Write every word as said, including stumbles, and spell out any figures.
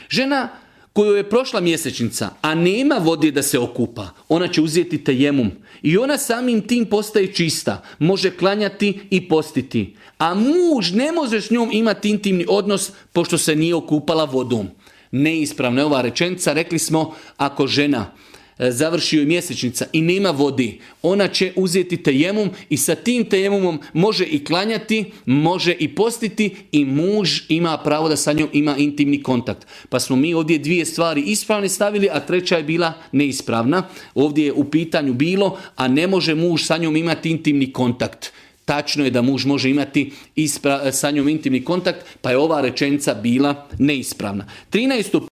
Žena koju je prošla mjesečnica, a nema vode da se okupa, ona će uzeti tejemum i ona samim tim postaje čista, može klanjati i postiti. A muž ne može s njom imati intimni odnos pošto se nije okupala vodom. Neispravna je ova rečenica, rekli smo ako žena završi joj mjesečnica i nema vodi, ona će uzeti tejemum i sa tim tejemumom može i klanjati, može i postiti i muž ima pravo da sa njom ima intimni kontakt. Pa smo mi ovdje dvije stvari ispravne stavili, a treća je bila neispravna. Ovdje je u pitanju bilo, a ne može muž sa njom imati intimni kontakt. Tačno je da muž može imati ispra- sa njom intimni kontakt, pa je ova rečenica bila neispravna. trinaesto